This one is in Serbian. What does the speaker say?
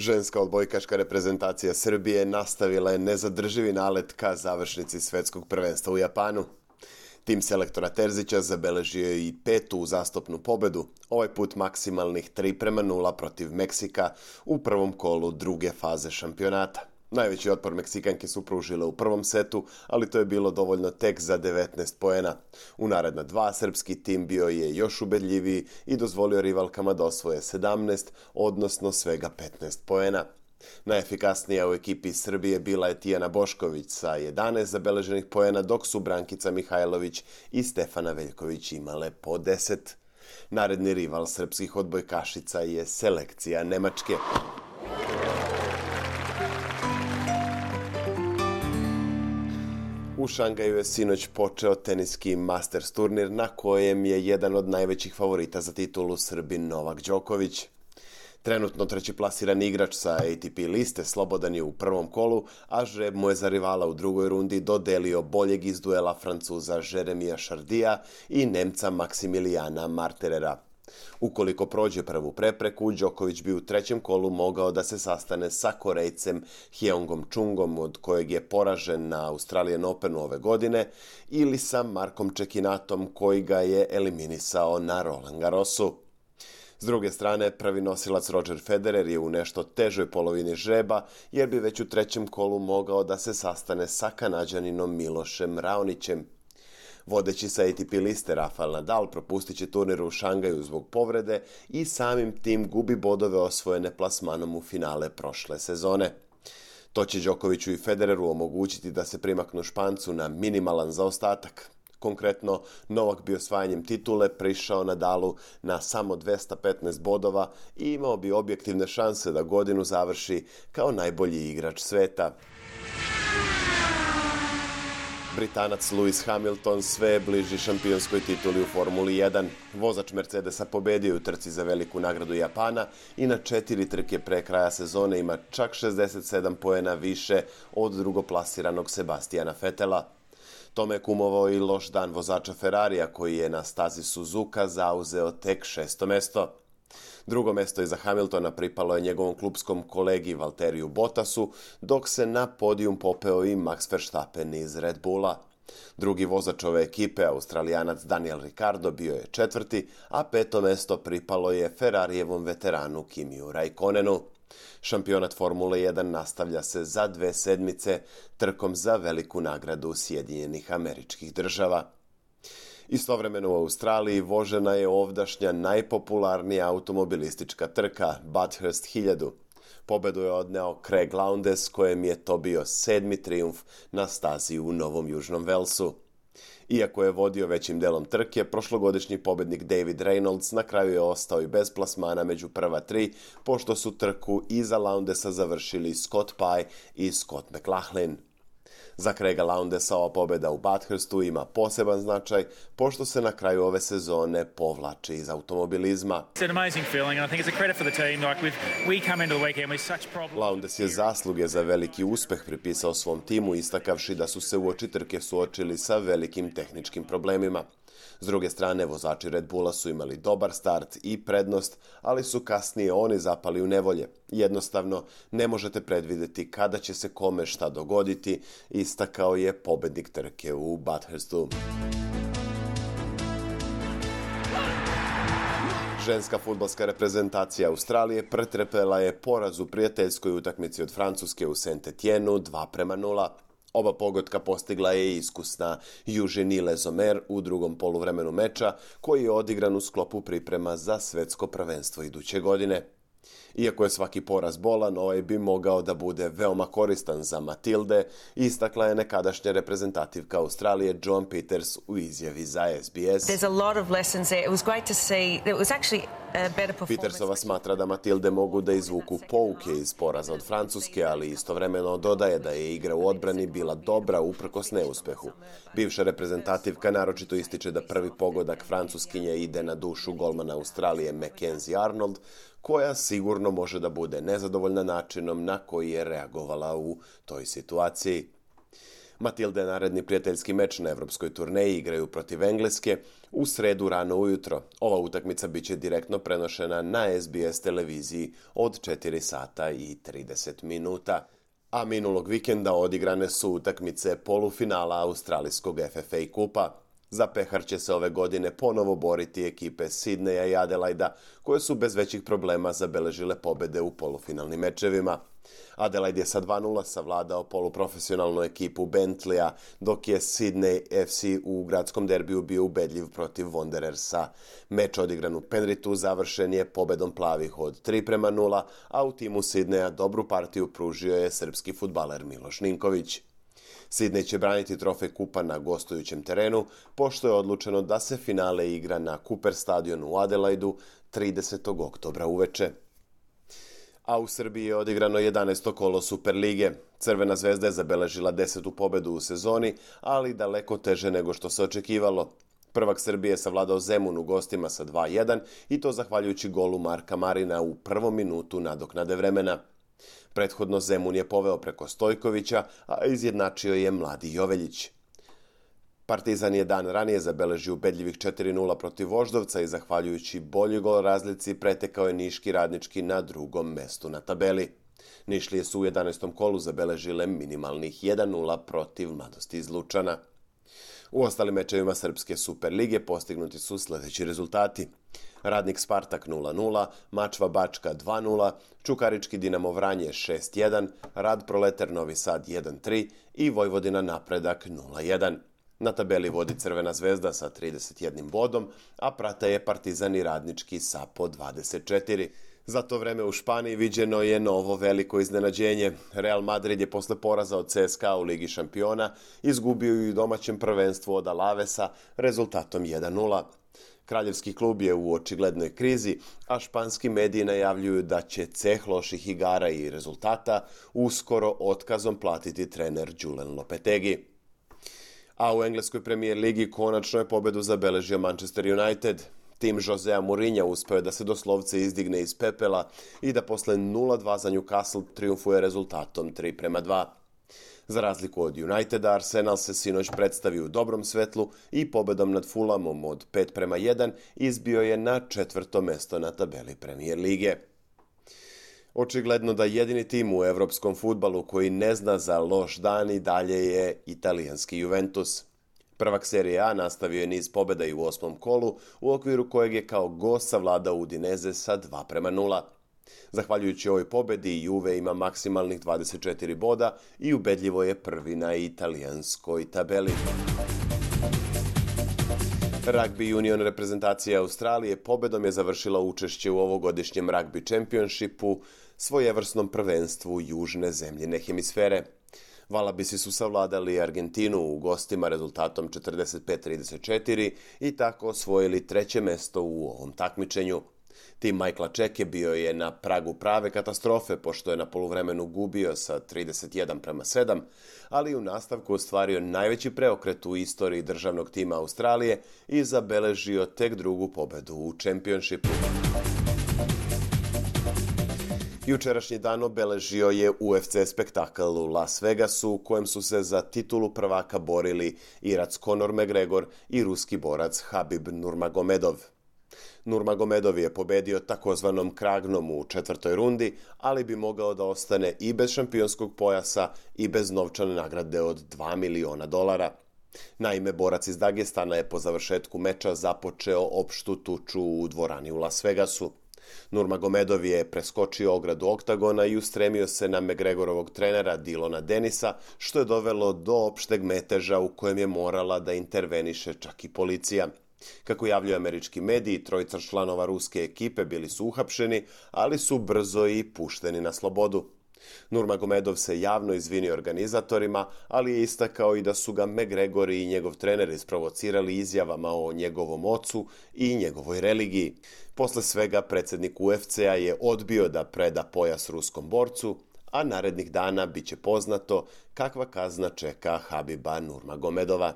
Ženska odbojkaška reprezentacija Srbije nastavila je nezadrživi nalet ka završnici svetskog prvenstva u Japanu. Tim selektora Terzića zabeležio je i petu uzastopnu pobedu, ovaj put maksimalnih 3:0 protiv Meksika u prvom kolu druge faze šampionata. Najveći otpor Meksikanke su pružile u prvom setu, ali to je bilo dovoljno tek za 19 poena. U naredna dva srpski tim bio je još ubedljiviji i dozvolio rivalkama da osvoje 17, odnosno svega 15 poena. Najefikasnija u ekipi Srbije bila je Tijana Bošković sa 11 zabeleženih poena, dok su Brankica Mihajlović i Stefana Veljković imale po 10. Naredni rival srpskih odbojkašica je selekcija Nemačke. U Šangaju je sinoć počeo teniski Masters turnir na kojem je jedan od najvećih favorita za titulu Srbin Novak Đoković. Trenutno treći plasirani igrač sa ATP liste slobodan je u prvom kolu, a žreb mu je za rivala u drugoj rundi dodelio boljeg iz duela Francuza Jeremija Šardija i Nemca Maksimilijana Marterera. Ukoliko prođe prvu prepreku, Đoković bi u trećem kolu mogao da se sastane sa Korejcem Hyeongom Chungom, od kojeg je poražen na Australian Openu ove godine, ili sa Markom Čekinatom, koji ga je eliminisao na Roland Garrosu. S druge strane, prvi nosilac Roger Federer je u nešto težoj polovini žreba, jer bi već u trećem kolu mogao da se sastane sa Kanađaninom Milošem Raonićem. Vodeći sa ATP liste Rafael Nadal propustit će turnir u Šangaju zbog povrede i samim tim gubi bodove osvojene plasmanom u finale prošle sezone. To će Đokoviću i Federeru omogućiti da se primaknu Špancu na minimalan zaostatak. Konkretno, Novak bi osvajanjem titule prišao Nadalu na samo 215 bodova i imao bi objektivne šanse da godinu završi kao najbolji igrač sveta. Britanac Lewis Hamilton sve je bliži šampionskoj tituli u Formuli 1. Vozač Mercedesa pobedio u trci za veliku nagradu Japana i na 4 trke pre kraja sezone ima čak 67 poena više od drugoplasiranog Sebastijana Vetela. Tome je kumovao i loš dan vozača Ferrarija, koji je na stazi Suzuka zauzeo tek 6. mesto. Drugo mesto iza Hamiltona pripalo je njegovom klupskom kolegi Valteriju Bottasu, dok se na podijum popeo i Max Verstappen iz Red Bulla. Drugi vozač ove ekipe, Australijanac Daniel Ricciardo, bio je četvrti, a 5. mesto pripalo je Ferrarijevom veteranu Kimiju Raikkonenu. Šampionat Formule 1 nastavlja se za 2 sedmice trkom za veliku nagradu Sjedinjenih Američkih Država. Istovremeno u Australiji vožena je ovdašnja najpopularnija automobilistička trka Bathurst 1000. Pobedu je odneo Craig Lowndes, kojem je to bio 7. trijumf na stazi u Novom Južnom Velsu. Iako je vodio većim delom trke, prošlogodišnji pobednik David Reynolds na kraju je ostao i bez plasmana među prva 3, pošto su trku iza Loundesa završili Scott Pye i Scott McLaughlin. Za Craiga Loundesa ova pobeda u Bathurstu ima poseban značaj, pošto se na kraju ove sezone povlači iz automobilizma. Lowndes je zasluge za veliki uspeh pripisao svom timu, istakavši da su se uoči trke suočili sa velikim tehničkim problemima. S druge strane, vozači Red Bulla su imali dobar start i prednost, ali su kasnije oni zapali u nevolje. Jednostavno, ne možete predvideti kada će se kome šta dogoditi, istakao je pobednik trke u Bathurstu. Ženska fudbalska reprezentacija Australije pretrpela je poraz u prijateljskoj utakmici od Francuske u Saint-Etienne 2:0. Oba pogotka postigla je iskusna Eugenie Lezomer u drugom poluvremenu meča, koji je odigran u sklopu priprema za svetsko prvenstvo iduće godine. Iako je svaki poraz bolan, ovaj bi mogao da bude veoma koristan za Matilde, istakla je nekadašnja reprezentativka Australije Joan Peters u izjavi za SBS. Petersova smatra da Matilde mogu da izvuku pouke iz poraza od Francuske, ali istovremeno dodaje da je igra u odbrani bila dobra uprkos neuspehu. Bivša reprezentativka naročito ističe da prvi pogodak Francuskinje ide na dušu golmana Australije Mackenzie Arnold, koja sigurno može da bude nezadovoljna načinom na koji je reagovala u toj situaciji. Matilde naredni prijateljski meč na evropskoj turneji igraju protiv Engleske u sredu rano ujutro. Ova utakmica biće direktno prenošena na SBS televiziji od 4 sata i 30 minuta. A minulog vikenda odigrane su utakmice polufinala australijskog FFA kupa. Za pehar će se ove godine ponovo boriti ekipe Sidneja i Adelaida, koje su bez većih problema zabeležile pobede u polufinalnim mečevima. Adelaide je sa 2:0 savladao poluprofesionalnu ekipu Bentleya, dok je Sydney FC u gradskom derbiju bio ubedljiv protiv Wanderersa. Meč odigran u Penrithu završen je pobedom plavih od 3:0, a u timu Sydneya dobru partiju pružio je srpski fudbaler Miloš Ninković. Sydney će braniti trofej kupa na gostujućem terenu, pošto je odlučeno da se finale igra na Cooper stadionu u Adelaidu 30. oktobra uveče. A u Srbiji je odigrano 11. kolo Superlige. Crvena zvezda je zabeležila 10. pobedu u sezoni, ali daleko teže nego što se očekivalo. Prvak Srbije je savladao Zemun u gostima sa 2:1 i to zahvaljujući golu Marka Marina u prvom minutu nadoknade vremena. Prethodno Zemun je poveo preko Stojkovića, a izjednačio je mladi Joveljić. Partizan je dan ranije zabeležio ubedljivih 4:0 protiv Voždovca i zahvaljujući bolji gol razlici pretekao je Niški Radnički na drugom mestu na tabeli. Nišlije su u 11. kolu zabeležile minimalnih 1:0 protiv Mladosti iz Lučana. U ostalim mečevima Srpske Superlige postignuti su sljedeći rezultati. Radnik Spartak 0:0, Mačva Bačka 2:0, Čukarički Dinamo Vranje 6:1, Rad Proleter Novi Sad 1:3 i Vojvodina Napredak 0:1. Na tabeli vodi Crvena zvezda sa 31 bodom, a prate je Partizan i Radnički sa po 24. Za to vreme u Španiji viđeno je novo veliko iznenađenje. Real Madrid je posle poraza od CSKA u Ligi šampiona izgubio i u domaćem prvenstvu od Alavesa rezultatom 1:0. Kraljevski klub je u očiglednoj krizi, a španski mediji najavljuju da će ceh loših igara i rezultata uskoro otkazom platiti trener Julen Lopetegi. A u engleskoj premijer ligi konačno je pobedu zabeležio Manchester United. Tim Josea Mourinha uspeo je da se doslovce izdigne iz pepela i da posle 0:2 za Newcastle triumfuje rezultatom 3:2. Za razliku od Uniteda, Arsenal se sinoć predstavio u dobrom svetlu i pobedom nad Fulhamom od 5:1 izbio je na 4. mesto na tabeli Premier lige. Očigledno da jedini tim u evropskom fudbalu koji ne zna za loš dan i dalje je italijanski Juventus. Prvak Serije A nastavio je niz pobjeda i u 8. kolu, u okviru kojeg je kao gost savladao Udinese sa 2:0. Zahvaljujući ovoj pobjedi, Juve ima maksimalnih 24 boda i ubedljivo je prvi na italijanskoj tabeli. Rugby Union reprezentacija Australije pobedom je završila učešće u ovogodišnjem Rugby Championshipu, svojevrsnom prvenstvu južne zemljine hemisfere. Valabisi su savladali Argentinu u gostima rezultatom 45-34 i tako osvojili 3. mesto u ovom takmičenju. Tim Michaela Čeke bio je na pragu prave katastrofe, pošto je na poluvremenu gubio sa 31:7, ali u nastavku ostvario najveći preokret u istoriji državnog tima Australije i zabeležio tek drugu pobedu u Championshipu. Jučerašnji dan obeležio je UFC spektakl u Las Vegasu, u kojem su se za titulu prvaka borili Irac Conor McGregor i ruski borac Habib Nurmagomedov. Nurmagomedov je pobedio takozvanom kragnom u 4. rundi, ali bi mogao da ostane i bez šampionskog pojasa i bez novčane nagrade od $2 miliona. Naime, borac iz Dagestana je po završetku meča započeo opštu tuču u dvorani u Las Vegasu. Nurmagomedov je preskočio ogradu oktagona i ustremio se na McGregorovog trenera Dylana Dennisa, što je dovelo do opšteg meteža u kojem je morala da interveniše čak i policija. Kako javljaju američki mediji, 3 članova ruske ekipe bili su uhapšeni, ali su brzo i pušteni na slobodu. Nurmagomedov se javno izvinio organizatorima, ali je istakao i da su ga McGregor i njegov trener isprovocirali izjavama o njegovom ocu i njegovoj religiji. Posle svega, predsjednik UFC-a je odbio da preda pojas ruskom borcu, a narednih dana biće poznato kakva kazna čeka Habiba Nurmagomedova.